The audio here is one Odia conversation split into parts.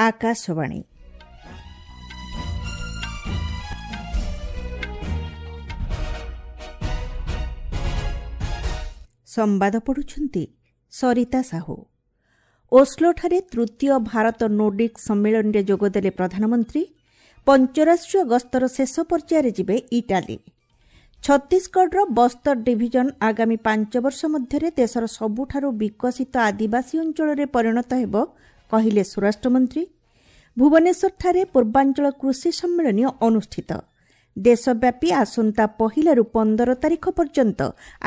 ଆକାଶବାଣୀ। ସମ୍ବାଦ ପଢ଼ୁଛନ୍ତି ସରିତା ସାହୁ। ଓସ୍ଲୋଠାରେ ତୃତୀୟ ଭାରତ ନୋର୍ଡିକ୍ ସମ୍ମିଳନୀରେ ଯୋଗଦେଲେ ପ୍ରଧାନମନ୍ତ୍ରୀ। ପଞ୍ଚରାଷ୍ଟ୍ରୀୟ ଗସ୍ତର ଶେଷ ପର୍ଯ୍ୟାୟରେ ଯିବେ ଇଟାଲୀ। ଛତିଶଗଡ଼ର ବସ୍ତର ଡିଭିଜନ ଆଗାମୀ 5 ବର୍ଷ ମଧ୍ୟରେ ଦେଶର ସବୁଠାରୁ ବିକଶିତ ଆଦିବାସୀ ଅଞ୍ଚଳରେ ପରିଣତ ହେବ, କହିଲେ ସ୍ୱରାଷ୍ଟ୍ରମନ୍ତ୍ରୀ। ଭୁବନେଶ୍ୱରଠାରେ ପୂର୍ବାଞ୍ଚଳ କୃଷି ସମ୍ମିଳନୀ ଅନୁଷ୍ଠିତ। ଦେଶବ୍ୟାପୀ ଆସନ୍ତା 1ରୁ 15 ତାରିଖ ପର୍ଯ୍ୟନ୍ତ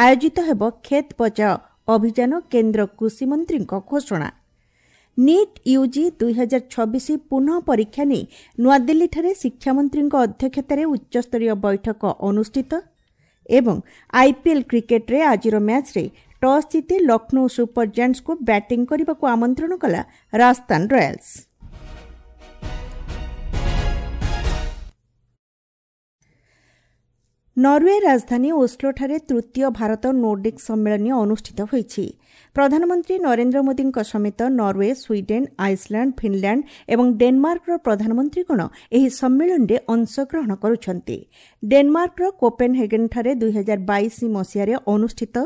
ଆୟୋଜିତ ହେବ କ୍ଷେତ ବଚାଓ ଅଭିଯାନ, କେନ୍ଦ୍ର କୃଷିମନ୍ତ୍ରୀଙ୍କ ଘୋଷଣା। ନିଟ୍ ୟୁଜି 2026 ପୁନଃ ପରୀକ୍ଷା ନେଇ ନୂଆଦିଲ୍ଲୀଠାରେ ଶିକ୍ଷାମନ୍ତ୍ରୀଙ୍କ ଅଧ୍ୟକ୍ଷତାରେ ଉଚ୍ଚସ୍ତରୀୟ ବୈଠକ ଅନୁଷ୍ଠିତ। ଏବଂ ଆଇପିଏଲ୍ କ୍ରିକେଟ୍ରେ ଆଜିର ମ୍ୟାଚ୍ରେ ଟସ୍ ଜିତି ଲକ୍ଷ୍ନୌ ସୁପର ଜାଏଣ୍ଟସ୍କୁ ବ୍ୟାଟିଂ କରିବାକୁ ଆମନ୍ତ୍ରଣ କଲା ରାଜସ୍ଥାନ ରୟାଲ୍ସ। ନରୱେ ରାଜଧାନୀ ଓସ୍ଲୋଠାରେ ତୃତୀୟ ଭାରତ ନୋର୍ଡିକ୍ ସମ୍ମିଳନୀ ଅନୁଷ୍ଠିତ ହୋଇଛି। ପ୍ରଧାନମନ୍ତ୍ରୀ ନରେନ୍ଦ୍ର ମୋଦିଙ୍କ ସମେତ ନରୱେ, ସ୍ୱିଡେନ୍, ଆଇସଲ୍ୟାଣ୍ଡ, ଫିନ୍ଲାଣ୍ଡ ଏବଂ ଡେନମାର୍କର ପ୍ରଧାନମନ୍ତ୍ରୀଗଣ ଏହି ସମ୍ମିଳନୀରେ ଅଂଶଗ୍ରହଣ କରୁଛନ୍ତି। ଡେନମାର୍କର କୋପେନହେଗେନ୍ଠାରେ 2022 ମସିହାରେ ଅନୁଷ୍ଠିତ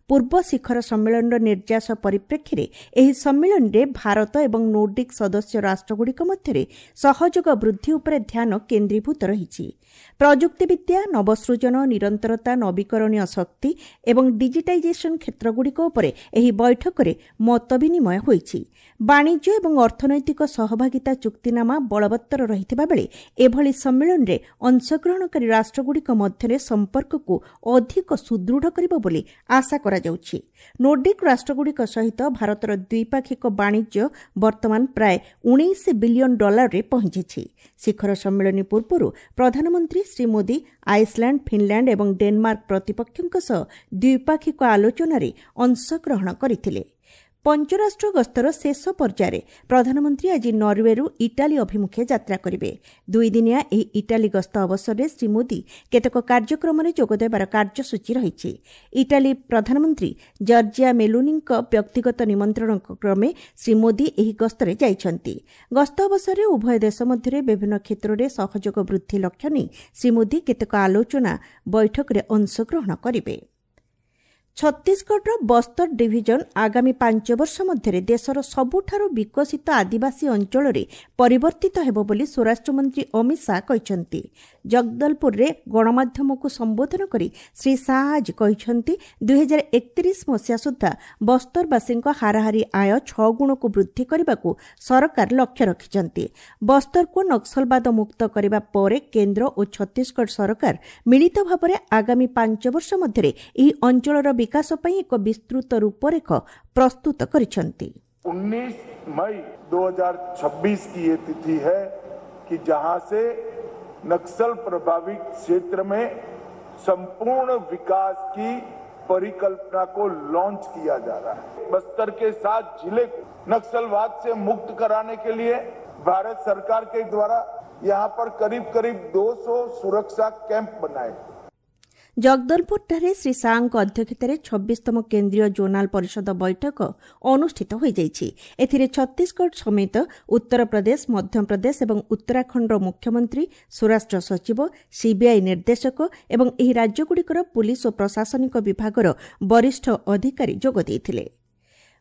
ପୂର୍ବ ଶିଖର ସମ୍ମିଳନୀର ନିର୍ଯାସ ପରିପ୍ରେକ୍ଷୀରେ ଏହି ସମ୍ମିଳନୀରେ ଭାରତ ଏବଂ ନୋର୍ଡିକ୍ ସଦସ୍ୟ ରାଷ୍ଟ୍ରଗୁଡ଼ିକ ମଧ୍ୟରେ ସହଯୋଗ ବୃଦ୍ଧି ଉପରେ ଧ୍ୟାନ କେନ୍ଦ୍ରୀଭୂତ ରହିଛି। ପ୍ରଯୁକ୍ତିବିଦ୍ୟା, ନବସୃଜନ, ନିରନ୍ତରତା, ନବୀକରଣୀୟ ଶକ୍ତି ଏବଂ ଡିଜିଟାଇଜେସନ୍ କ୍ଷେତ୍ରଗୁଡ଼ିକ ଉପରେ ଏହି ବୈଠକରେ ମତ ବିନିମୟ ହୋଇଛି। ବାଣିଜ୍ୟ ଏବଂ ଅର୍ଥନୈତିକ ସହଭାଗିତା ଚୁକ୍ତିନାମା ବଳବତ୍ତର ରହିଥିବା ବେଳେ ଏଭଳି ସମ୍ମିଳନୀରେ ଅଂଶଗ୍ରହଣକାରୀ ରାଷ୍ଟ୍ରଗୁଡ଼ିକ ମଧ୍ୟରେ ସମ୍ପର୍କକୁ ଅଧିକ ସୁଦୃଢ଼ କରିବ ବୋଲି ଆଶା କରାଯାଉଛି। ନୋର୍ଡିକ୍ ରାଷ୍ଟ୍ରଗୁଡ଼ିକ ସହିତ ଭାରତର ଦ୍ୱିପାକ୍ଷିକ ବାଣିଜ୍ୟ ବର୍ତ୍ତମାନ ପ୍ରାୟ 19 ବିଲିୟନ ଡଲାରରେ ପହଞ୍ଚିଛି। ଶିଖର ସମ୍ମିଳନୀ ପୂର୍ବରୁ ପ୍ରଧାନମନ୍ତ୍ରୀ ଶ୍ରୀ ମୋଦି ଆଇସଲ୍ୟାଣ୍ଡ, ଫିନ୍ଲାଣ୍ଡ ଏବଂ ଡେନମାର୍କ ପ୍ରତିପକ୍ଷଙ୍କ ସହ ଦ୍ୱିପାକ୍ଷିକ ଆଲୋଚନାରେ ଅଂଶଗ୍ରହଣ କରିଥିଲେ। ପଞ୍ଚରାଷ୍ଟ୍ର ଗସ୍ତର ଶେଷ ପର୍ଯ୍ୟାୟରେ ପ୍ରଧାନମନ୍ତ୍ରୀ ଆଜି ନରୱେରୁ ଇଟାଲୀ ଅଭିମୁଖେ ଯାତ୍ରା କରିବେ। ଦୁଇଦିନିଆ ଏହି ଇଟାଲୀ ଗସ୍ତ ଅବସରରେ ଶ୍ରୀ ମୋଦି କେତେକ କାର୍ଯ୍ୟକ୍ରମରେ ଯୋଗଦେବାର କାର୍ଯ୍ୟସୂଚୀ ରହିଛି। ଇଟାଲୀ ପ୍ରଧାନମନ୍ତ୍ରୀ ଜର୍ଜିଆ ମେଲୋନିଙ୍କ ବ୍ୟକ୍ତିଗତ ନିମନ୍ତ୍ରଣ କ୍ରମେ ଶ୍ରୀ ମୋଦି ଏହି ଗସ୍ତରେ ଯାଇଛନ୍ତି। ଗସ୍ତ ଅବସରରେ ଉଭୟ ଦେଶ ମଧ୍ୟରେ ବିଭିନ୍ନ କ୍ଷେତ୍ରରେ ସହଯୋଗ ବୃଦ୍ଧି ଲକ୍ଷ୍ୟ ନେଇ ଶ୍ରୀ ମୋଦି କେତେକ ଆଲୋଚନା ବୈଠକରେ ଅଂଶଗ୍ରହଣ କରିବେ। ଛତିଶଗଡ଼ର ବସ୍ତର ଡିଭିଜନ ଆଗାମୀ 5 ବର୍ଷ ମଧ୍ୟରେ ଦେଶର ସବୁଠାରୁ ବିକଶିତ ଆଦିବାସୀ ଅଞ୍ଚଳରେ ପରିବର୍ତ୍ତିତ ହେବ ବୋଲି ସ୍ୱରାଷ୍ଟ୍ରମନ୍ତ୍ରୀ ଅମିତ ଶାହା କହିଛନ୍ତି। ଜଗଦଲପୁରରେ ଗଣମାଧ୍ୟମକୁ ସମ୍ବୋଧନ କରି ଶ୍ରୀ ଶାହା ଆଜି କହିଛନ୍ତି, 2031 ମସିହା ସୁଦ୍ଧା ବସ୍ତରବାସୀଙ୍କ ହାରାହାରି ଆୟ 6 ଗୁଣକୁ ବୃଦ୍ଧି କରିବାକୁ ସରକାର ଲକ୍ଷ୍ୟ ରଖିଛନ୍ତି। ବସ୍ତରକୁ ନକ୍ସଲବାଦ ମୁକ୍ତ କରିବା ପରେ କେନ୍ଦ୍ର ଓ ଛତିଶଗଡ଼ ସରକାର ମିଳିତ ଭାବରେ ଆଗାମୀ 5 ବର୍ଷ ମଧ୍ୟରେ ଏହି ଅଞ୍ଚଳର ବିକାଶ ପାଇଁ ଏକ ବିସ୍ତୃତ ରୂପରେଖ ପ୍ରସ୍ତୁତ କରିଛନ୍ତି। 19 मई 2026 की ये तिथि है कि जहां से नक्सल प्रभावित क्षेत्र में संपूर्ण विकास की परिकल्पना को लॉन्च किया जा रहा है। बस्तर के 7 जिले को नक्सलवाद से मुक्त कराने के लिए भारत सरकार के द्वारा यहां पर करीब करीब 200 सुरक्षा कैंप बनाए। ଜଗଦଲପୁରଠାରେ ଶ୍ରୀ ଶାହାଙ୍କ ଅଧ୍ୟକ୍ଷତାରେ 26ତମ କେନ୍ଦ୍ରୀୟ ଜୋନାଲ ପରିଷଦ ବୈଠକ ଅନୁଷ୍ଠିତ ହୋଇଯାଇଛି। ଏଥିରେ ଛତିଶଗଡ଼ ସମେତ ଉତ୍ତରପ୍ରଦେଶ, ମଧ୍ୟପ୍ରଦେଶ ଏବଂ ଉତ୍ତରାଖଣ୍ଡର ମୁଖ୍ୟମନ୍ତ୍ରୀ, ସ୍ୱରାଷ୍ଟ୍ର ସଚିବ, ସିବିଆଇ ନିର୍ଦ୍ଦେଶକ ଏବଂ ଏହି ରାଜ୍ୟଗୁଡ଼ିକର ପୁଲିସ୍ ଓ ପ୍ରଶାସନିକ ବିଭାଗର ବରିଷ୍ଠ ଅଧିକାରୀ ଯୋଗ ଦେଇଥିଲେ।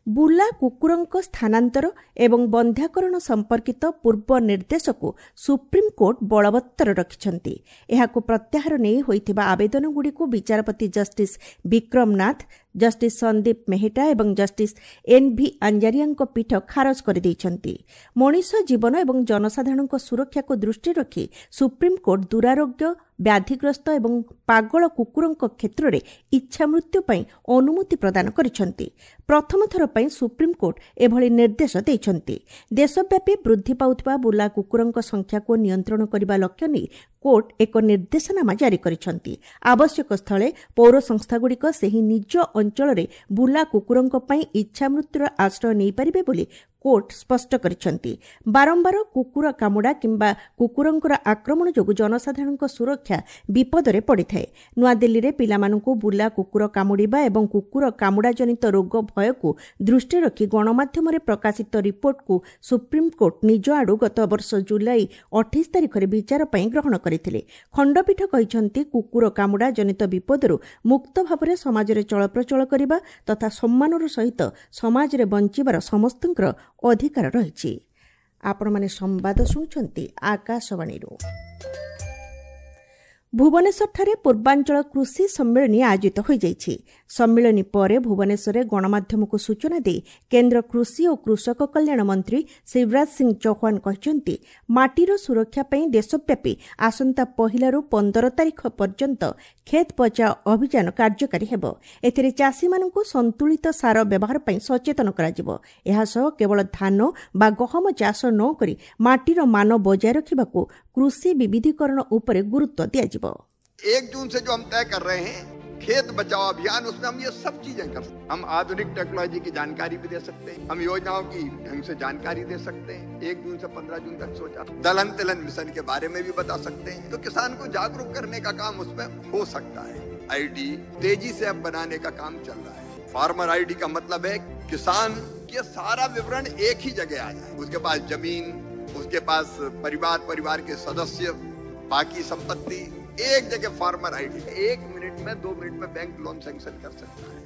ବୁଲା କୁକୁରଙ୍କ ସ୍ଥାନାନ୍ତର ଏବଂ ବନ୍ଧ୍ୟାକରଣ ସମ୍ପର୍କିତ ପୂର୍ବ ନିର୍ଦ୍ଦେଶକୁ ସୁପ୍ରିମକୋର୍ଟ ବଳବତ୍ତର ରଖିଛନ୍ତି। ଏହାକୁ ପ୍ରତ୍ୟାହାର ନେଇ ହୋଇଥିବା ଆବେଦନଗୁଡ଼ିକୁ ବିଚାରପତି ଜଷ୍ଟିସ୍ ବିକ୍ରମ ନାଥ, ଜଷ୍ଟିସ୍ ସନ୍ଦୀପ ମେହେଟା ଏବଂ ଜଷ୍ଟିସ୍ ଏନ୍ ଭି ଆଞ୍ଜାରିଆଙ୍କ ପୀଠ ଖାରଜ କରିଦେଇଛନ୍ତି। ମଣିଷ ଜୀବନ ଏବଂ ଜନସାଧାରଣଙ୍କ ସୁରକ୍ଷାକୁ ଦୃଷ୍ଟିରେ ରଖି ସୁପ୍ରିମକୋର୍ଟ ଦୁରାରୋଗ୍ୟ, ବ୍ୟାଧିଗ୍ରସ୍ତ ଏବଂ ପାଗଳ କୁକୁରଙ୍କ କ୍ଷେତ୍ରରେ ଇଚ୍ଛାମୃତ୍ୟୁ ପାଇଁ ଅନୁମତି ପ୍ରଦାନ କରିଛନ୍ତି। ପ୍ରଥମ ଥର ପାଇଁ ସୁପ୍ରିମକୋର୍ଟ ଏଭଳି ନିର୍ଦ୍ଦେଶ ଦେଇଛନ୍ତି। ଦେଶବ୍ୟାପୀ ବୃଦ୍ଧି ପାଉଥିବା ବୁଲା କୁକୁରଙ୍କ ସଂଖ୍ୟାକୁ ନିୟନ୍ତ୍ରଣ କରିବା ଲକ୍ଷ୍ୟ ନେଇ କୋର୍ଟ ଏକ ନିର୍ଦ୍ଦେଶନାମା ଜାରି କରିଛନ୍ତି। ଆବଶ୍ୟକ ସ୍ଥଳେ ପୌର ସଂସ୍ଥାଗୁଡ଼ିକ ସେହି ନିଜ ଅଞ୍ଚଳରେ ବୁଲା କୁକୁରଙ୍କ ପାଇଁ ଇଚ୍ଛାମୃତ୍ୟୁର ଆଶ୍ରୟ ନେଇପାରିବେ ବୋଲି କୋର୍ଟ ସ୍ପଷ୍ଟ କରିଛନ୍ତି। ବାରମ୍ବାର କୁକୁର କାମୁଡ଼ା କିମ୍ବା କୁକୁରଙ୍କର ଆକ୍ରମଣ ଯୋଗୁଁ ଜନସାଧାରଣଙ୍କ ସୁରକ୍ଷା ବିପଦରେ ପଡ଼ିଥାଏ। ନୂଆଦିଲ୍ଲୀରେ ପିଲାମାନଙ୍କୁ ବୁଲା କୁକୁର କାମୁଡ଼ିବା ଏବଂ କୁକୁର କାମୁଡ଼ାଜନିତ ରୋଗ ଭୟକୁ ଦୃଷ୍ଟିରେ ରଖି ଗଣମାଧ୍ୟମରେ ପ୍ରକାଶିତ ରିପୋର୍ଟକୁ ସୁପ୍ରିମକୋର୍ଟ ନିଜ ଆଡୁ ଗତବର୍ଷ ଜୁଲାଇ 28 ତାରିଖରେ ବିଚାର ପାଇଁ ଗ୍ରହଣ କରିଥିଲେ। ଖଣ୍ଡପୀଠ କହିଛନ୍ତି, କୁକୁର କାମୁଡ଼ା ଜନିତ ବିପଦରୁ ମୁକ୍ତ ଭାବରେ ସମାଜରେ ଚଳପ୍ରଚଳ କରିବା ତଥା ସମ୍ମାନର ସହିତ ସମାଜରେ ବଞ୍ଚିବାର ସମସ୍ତଙ୍କର ଅଧିକାର ରହିଛି। ଆପଣମାନେ ସମ୍ବାଦ ଶୁଣୁଛନ୍ତି ଆକାଶବାଣୀରୁ। ଭୁବନେଶ୍ୱରଠାରେ ପୂର୍ବାଞ୍ଚଳ କୃଷି ସମ୍ମିଳନୀ ଆୟୋଜିତ ହୋଇଯାଇଛି। ସମ୍ମିଳନୀ ପରେ ଭୁବନେଶ୍ୱରରେ ଗଣମାଧ୍ୟମକୁ ସୂଚନା ଦେଇ କେନ୍ଦ୍ର କୃଷି ଓ କୃଷକ କଲ୍ୟାଣ ମନ୍ତ୍ରୀ ଶିବରାଜ ସିଂ ଚୌହାନ କହିଛନ୍ତି, ମାଟିର ସୁରକ୍ଷା ପାଇଁ ଦେଶବ୍ୟାପୀ ଆସନ୍ତା 1ରୁ 15 ତାରିଖ ପର୍ଯ୍ୟନ୍ତ କ୍ଷେତ ବଚାଓ ଅଭିଯାନ କାର୍ଯ୍ୟକାରୀ ହେବ। ଏଥିରେ ଚାଷୀମାନଙ୍କୁ ସନ୍ତୁଳିତ ସାର ବ୍ୟବହାର ପାଇଁ ସଚେତନ କରାଯିବ। ଏହାସହ କେବଳ ଧାନ ବା ଗହମ ଚାଷ ନ କରି ମାଟିର ମାନ ବଜାୟ ରଖିବାକୁ କୃଷି ବିବିଧୀକରଣ ଉପରେ ଗୁରୁତ୍ୱ ଦିଆଯିବ। 1 जून से जो हम तय कर रहे हैं खेत बचाओ अभियान, उसमें हम ये सब चीजें कर सकते हैं। हम आधुनिक टेक्नोलॉजी की जानकारी भी दे सकते हैं, हम योजनाओं की ढंग से जानकारी दे सकते हैं। 1 जून से 15 जून तक सोचा, दलहन तिलहन मिशन के बारे में भी बता सकते हैं। तो किसान को जागरूक करने का काम उसमें हो सकता है। आईडी तेजी से अब बनाने का काम चल रहा है। फार्मर आईडी का मतलब है किसान के सारा विवरण एक ही जगह आ जाए। उसके पास जमीन, उसके पास परिवार, परिवार के सदस्य, बाकी संपत्ति, एक जगह फार्मर आईडी। 1 मिनट में 2 मिनट में बैंक लोन सैंक्शन कर सकता है।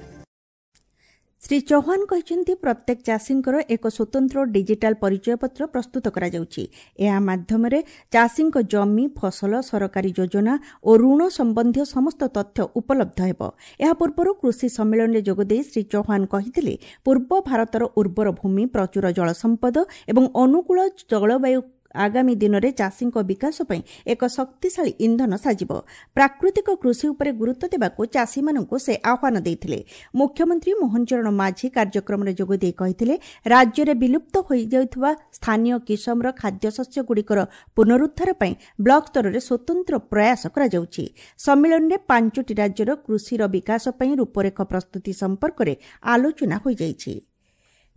ଶ୍ରୀ ଚୌହାନ କହିଛନ୍ତି, ପ୍ରତ୍ୟେକ ଚାଷୀଙ୍କର ଏକ ସ୍ୱତନ୍ତ୍ର ଡିଜିଟାଲ ପରିଚୟପତ୍ର ପ୍ରସ୍ତୁତ କରାଯାଉଛି। ଏହା ମାଧ୍ୟମରେ ଚାଷୀଙ୍କ ଜମି, ଫସଲ, ସରକାରୀ ଯୋଜନା ଓ ଋଣ ସମ୍ବନ୍ଧୀୟ ସମସ୍ତ ତଥ୍ୟ ଉପଲବ୍ଧ ହେବ। ଏହା ପୂର୍ବରୁ କୃଷି ସମ୍ମିଳନୀରେ ଯୋଗଦେଇ ଶ୍ରୀ ଚୌହାନ କହିଥିଲେ, ପୂର୍ବ ଭାରତର ଉର୍ବର ଭୂମି, ପ୍ରଚୁର ଜଳସମ୍ପଦ ଏବଂ ଅନୁକୂଳ ଜଳବାୟୁ ଆଗାମୀ ଦିନରେ ଚାଷୀଙ୍କ ବିକାଶ ପାଇଁ ଏକ ଶକ୍ତିଶାଳୀ ଇନ୍ଧନ ସାଜିବ। ପ୍ରାକୃତିକ କୃଷି ଉପରେ ଗୁରୁତ୍ୱ ଦେବାକୁ ଚାଷୀମାନଙ୍କୁ ସେ ଆହ୍ୱାନ ଦେଇଥିଲେ। ମୁଖ୍ୟମନ୍ତ୍ରୀ ମୋହନ ଚରଣ ମାଝୀ କାର୍ଯ୍ୟକ୍ରମରେ ଯୋଗଦେଇ କହିଥିଲେ, ରାଜ୍ୟରେ ବିଲୁପ୍ତ ହୋଇଯାଉଥିବା ସ୍ଥାନୀୟ କିସମର ଖାଦ୍ୟଶସ୍ୟଗୁଡ଼ିକର ପୁନରୁଦ୍ଧାର ପାଇଁ ବ୍ଲକ ସ୍ତରରେ ସ୍ୱତନ୍ତ୍ର ପ୍ରୟାସ କରାଯାଉଛି। ସମ୍ମିଳନୀରେ 5ଟି ରାଜ୍ୟର କୃଷିର ବିକାଶ ପାଇଁ ରୂପରେଖ ପ୍ରସ୍ତୁତି ସମ୍ପର୍କରେ ଆଲୋଚନା ହୋଇଯାଇଛି।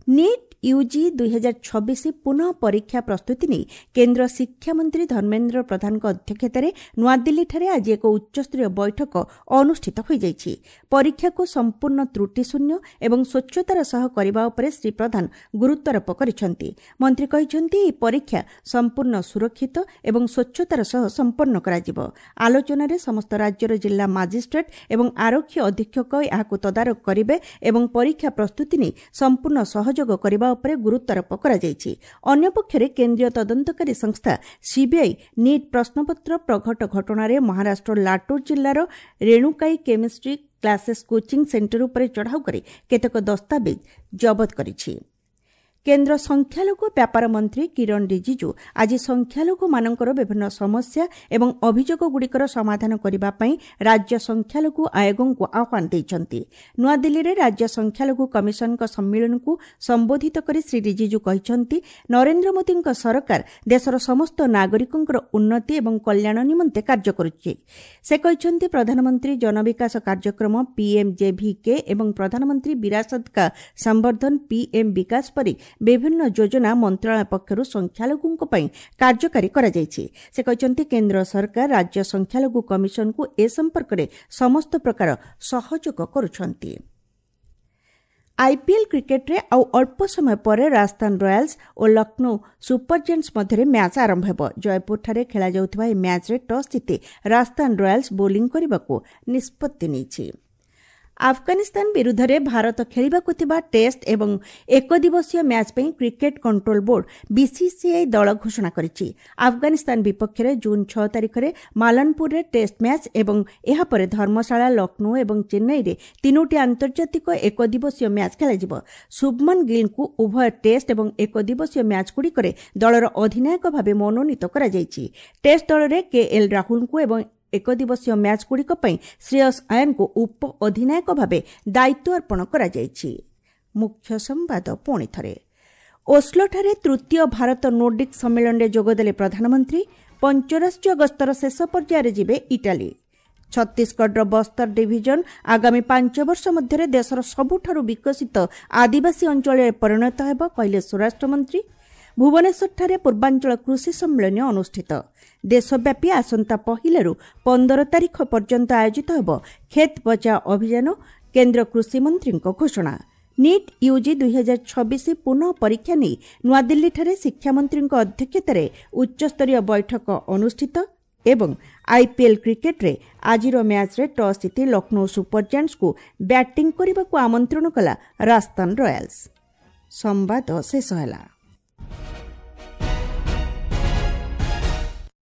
ନିଟ୍ ୟୁଜି 2026 ପୁନଃ ପରୀକ୍ଷା ପ୍ରସ୍ତୁତି ନେଇ କେନ୍ଦ୍ର ଶିକ୍ଷାମନ୍ତ୍ରୀ ଧର୍ମେନ୍ଦ୍ର ପ୍ରଧାନଙ୍କ ଅଧ୍ୟକ୍ଷତାରେ ନୂଆଦିଲ୍ଲୀଠାରେ ଆଜି ଏକ ଉଚ୍ଚସ୍ତରୀୟ ବୈଠକ ଅନୁଷ୍ଠିତ ହୋଇଯାଇଛି। ପରୀକ୍ଷାକୁ ସମ୍ପୂର୍ଣ୍ଣ ତ୍ରୁଟିଶୂନ୍ୟ ଏବଂ ସ୍ୱଚ୍ଛତାର ସହ କରିବା ଉପରେ ଶ୍ରୀ ପ୍ରଧାନ ଗୁରୁତ୍ୱାରୋପ କରିଛନ୍ତି। ମନ୍ତ୍ରୀ କହିଛନ୍ତି, ଏହି ପରୀକ୍ଷା ସମ୍ପୂର୍ଣ୍ଣ ସୁରକ୍ଷିତ ଏବଂ ସ୍ୱଚ୍ଛତାର ସହ ସମ୍ପନ୍ନ କରାଯିବ। ଆଲୋଚନାରେ ସମସ୍ତ ରାଜ୍ୟର ଜିଲ୍ଲା ମାଜିଷ୍ଟ୍ରେଟ୍ ଏବଂ ଆରକ୍ଷୀ ଅଧୀକ୍ଷକ ଏହାକୁ ତଦାରଖ କରିବେ ଏବଂ ପରୀକ୍ଷା ପ୍ରସ୍ତୁତି ନେଇ ସମ୍ପୂର୍ଣ୍ଣ ସହଯୋଗ କରିବା ଉପରେ ଗୁରୁତ୍ୱାରୋପ କରାଯାଇଛି। ଅନ୍ୟପକ୍ଷରେ କେନ୍ଦ୍ରୀୟ ତଦନ୍ତକାରୀ ସଂସ୍ଥା ସିବିଆଇ ନିଟ୍ ପ୍ରଶ୍ନପତ୍ର ପ୍ରଘଟ ଘଟଣାରେ ମହାରାଷ୍ଟ୍ର ଲାଟୁର ଜିଲ୍ଲାର ରେଣୁକାଇ କେମିଷ୍ଟ୍ରି କ୍ଲାସେସ୍ କୋଚିଂ ସେଣ୍ଟର ଉପରେ ଚଢ଼ାଉ କରି କେତେକ ଦସ୍ତାବିଜ୍ ଜବତ କରିଛି। କେନ୍ଦ୍ର ସଂଖ୍ୟାଲଘୁ ବ୍ୟାପାର ମନ୍ତ୍ରୀ କିରଣ ରିଜିଜୁ ଆଜି ସଂଖ୍ୟାଲଘୁମାନଙ୍କର ବିଭିନ୍ନ ସମସ୍ୟା ଏବଂ ଅଭିଯୋଗଗୁଡ଼ିକର ସମାଧାନ କରିବା ପାଇଁ ରାଜ୍ୟ ସଂଖ୍ୟାଲଘୁ ଆୟୋଗଙ୍କୁ ଆହ୍ୱାନ ଦେଇଛନ୍ତି। ନୂଆଦିଲ୍ଲୀରେ ରାଜ୍ୟ ସଂଖ୍ୟାଲଘୁ କମିଶନଙ୍କ ସମ୍ମିଳନୀକୁ ସମ୍ବୋଧିତ କରି ଶ୍ରୀ ରିଜିଜୁ କହିଛନ୍ତି, ନରେନ୍ଦ୍ର ମୋଦିଙ୍କ ସରକାର ଦେଶର ସମସ୍ତ ନାଗରିକଙ୍କର ଉନ୍ନତି ଏବଂ କଲ୍ୟାଣ ନିମନ୍ତେ କାର୍ଯ୍ୟ କରୁଛି। ସେ କହିଛନ୍ତି, ପ୍ରଧାନମନ୍ତ୍ରୀ ଜନବିକାଶ କାର୍ଯ୍ୟକ୍ରମ ପିଏମ୍ଜେଭିକେ ଏବଂ ପ୍ରଧାନମନ୍ତ୍ରୀ ବିରାସତ କା ସମ୍ବର୍ଦ୍ଧନ ପିଏମ୍ ବିକାଶ ପରି ବିଭିନ୍ନ ଯୋଜନା ମନ୍ତ୍ରଣାଳୟ ପକ୍ଷରୁ ସଂଖ୍ୟାଲଘୁଙ୍କ ପାଇଁ କାର୍ଯ୍ୟକାରୀ କରାଯାଇଛି। ସେ କହିଛନ୍ତି, କେନ୍ଦ୍ର ସରକାର ରାଜ୍ୟ ସଂଖ୍ୟାଲଘୁ କମିଶନକୁ ଏ ସମ୍ପର୍କରେ ସମସ୍ତ ପ୍ରକାର ସହଯୋଗ କରୁଛନ୍ତି। ଆଇପିଏଲ୍ କ୍ରିକେଟ୍ରେ ଆଉ ଅଳ୍ପ ସମୟ ପରେ ରାଜସ୍ଥାନ ରୟାଲ୍ସ ଓ ଲକ୍ଷ୍ନୌ ସୁପର ଜାଏଣ୍ଟସ୍ ମଧ୍ୟରେ ମ୍ୟାଚ୍ ଆରମ୍ଭ ହେବ। ଜୟପୁରଠାରେ ଖେଳାଯାଉଥିବା ଏହି ମ୍ୟାଚ୍ରେ ଟସ୍ ଜିତି ରାଜସ୍ଥାନ ରୟାଲ୍ସ ବୋଲିଂ କରିବାକୁ ନିଷ୍ପତ୍ତି ନେଇଛି। ଆଫଗାନିସ୍ତାନ ବିରୁଦ୍ଧରେ ଭାରତ ଖେଳିବାକୁ ଥିବା ଟେଷ୍ଟ ଏବଂ ଏକଦିବସୀୟ ମ୍ୟାଚ୍ ପାଇଁ କ୍ରିକେଟ୍ କଣ୍ଟ୍ରୋଲ ବୋର୍ଡ ବିସିସିଆଇ ଦଳ ଘୋଷଣା କରିଛି। ଆଫଗାନିସ୍ତାନ ବିପକ୍ଷରେ ଜୁନ୍ 6 ତାରିଖରେ ମାଲନପୁରରେ ଟେଷ୍ଟ ମ୍ୟାଚ୍ ଏବଂ ଏହାପରେ ଧର୍ମଶାଳା, ଲକ୍ଷ୍ନୌ ଏବଂ ଚେନ୍ନାଇରେ 3ଟି ଆନ୍ତର୍ଜାତିକ ଏକଦିବସୀୟ ମ୍ୟାଚ୍ ଖେଳାଯିବ। ଶୁଭମନ ଗିଲ୍ଙ୍କୁ ଉଭୟ ଟେଷ୍ଟ ଏବଂ ଏକଦିବସୀୟ ମ୍ୟାଚ୍ଗୁଡ଼ିକରେ ଦଳର ଅଧିନାୟକ ଭାବେ ମନୋନୀତ କରାଯାଇଛି। ଟେଷ୍ଟ ଦଳରେ କେ ଏଲ୍ ରାହୁଲଙ୍କୁ ଏବଂ ଏକଦିବସୀୟ ମ୍ୟାଚ୍ଗୁଡ଼ିକ ପାଇଁ ଶ୍ରେୟସ୍ ଆୟରଙ୍କୁ ଉପ ଅଧିନାୟକ ଭାବେ ଦାୟିତ୍ୱ ଅର୍ପଣ କରାଯାଇଛି। ମୁଖ୍ୟ ସମ୍ବାଦ ପୁଣି ଥରେ। ଓସ୍ଲୋଠାରେ ତୃତୀୟ ଭାରତ ନୋର୍ଡିକ୍ ସମ୍ମିଳନୀରେ ଯୋଗଦେଲେ ପ୍ରଧାନମନ୍ତ୍ରୀ। ପଞ୍ଚରାଷ୍ଟ୍ରୀୟ ଗସ୍ତର ଶେଷ ପର୍ଯ୍ୟାୟରେ ଯିବେ ଇଟାଲୀ। ଛତିଶଗଡ଼ର ବସ୍ତର ଡିଭିଜନ ଆଗାମୀ 5 ବର୍ଷ ମଧ୍ୟରେ ଦେଶର ସବୁଠାରୁ ବିକଶିତ ଆଦିବାସୀ ଅଞ୍ଚଳରେ ପରିଣତ ହେବ, କହିଲେ ସ୍ୱରାଷ୍ଟ୍ରମନ୍ତ୍ରୀ। ଭୁବନେଶ୍ୱରଠାରେ ପୂର୍ବାଞ୍ଚଳ କୃଷି ସମ୍ମିଳନୀ ଅନୁଷ୍ଠିତ। ଦେଶବ୍ୟାପୀ ଆସନ୍ତା 1ରୁ 15 ତାରିଖ ପର୍ଯ୍ୟନ୍ତ ଆୟୋଜିତ ହେବ କ୍ଷେତ ବଚାଓ ଅଭିଯାନ, କେନ୍ଦ୍ର କୃଷିମନ୍ତ୍ରୀଙ୍କ ଘୋଷଣା। ନିଟ୍ ୟୁଜି 2026 ପୁନଃ ପରୀକ୍ଷା ନେଇ ନୂଆଦିଲ୍ଲୀଠାରେ ଶିକ୍ଷାମନ୍ତ୍ରୀଙ୍କ ଅଧ୍ୟକ୍ଷତାରେ ଉଚ୍ଚସ୍ତରୀୟ ବୈଠକ ଅନୁଷ୍ଠିତ। ଏବଂ ଆଇପିଏଲ୍ କ୍ରିକେଟ୍ରେ ଆଜିର ମ୍ୟାଚ୍ରେ ଟସ୍ ଜିତି ଲକ୍ଷ୍ନୌ ସୁପର ଜାଏଣ୍ଟସ୍କୁ ବ୍ୟାଟିଂ କରିବାକୁ ଆମନ୍ତ୍ରଣ କଲା ରାଜସ୍ଥାନ ରୟାଲ୍ସ। ସମ୍ବାଦ ଶେଷ ହେଲା।